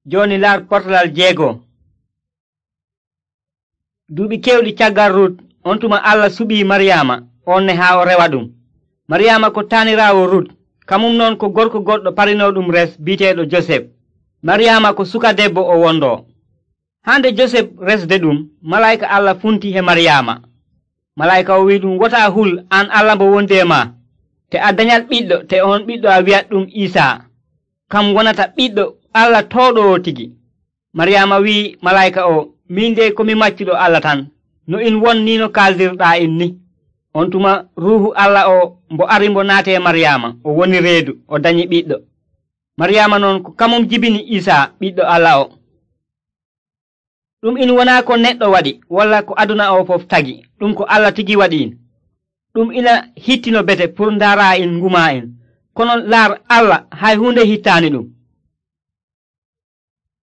Joni laar portalal 6. Duuɓi kewɗi caggal Rut, on tuma Allah suɓii Maryaama on ne haa o rewa ɗum. Maryaama ko taaniraawo Rut, kamum noon ko gorko goɗɗo parinooɗum res bi'eteeɗo Josef. Maryaama ko suka debbo o wondoo. Hande Josef resde ɗum, malayika Allah funti he Maryaama. Malayika o wi'i ɗum, wotaa hul an Allah mbo wondi e ma, te a danyat ɓiɗɗo, te on ɓiɗɗo a wi'at ɗum Iisaa. Kam wonata ɓiɗɗo Allah tooɗowo tigi. Maryaama wi'i malayika o, min de komi maccuɗo Allah tan, no in won ni no kaldirɗaa in ni. On tuma Ruuhu Allah o mbo ari mbo naati e Maryaama, o woni reedu, o danyi ɓiɗɗo. Maryaama noon ko kamum jibini Iisaa ɓiɗɗo Allah o. Ɗum in wonaa ko neɗɗo waɗi, walla ko aduna o fof tagi, ɗum ko Allah tigi waɗi in. Ɗum ina hittino bete pour ndaara in nguma en, kono laar Allah hay hunde hittaani ɗum.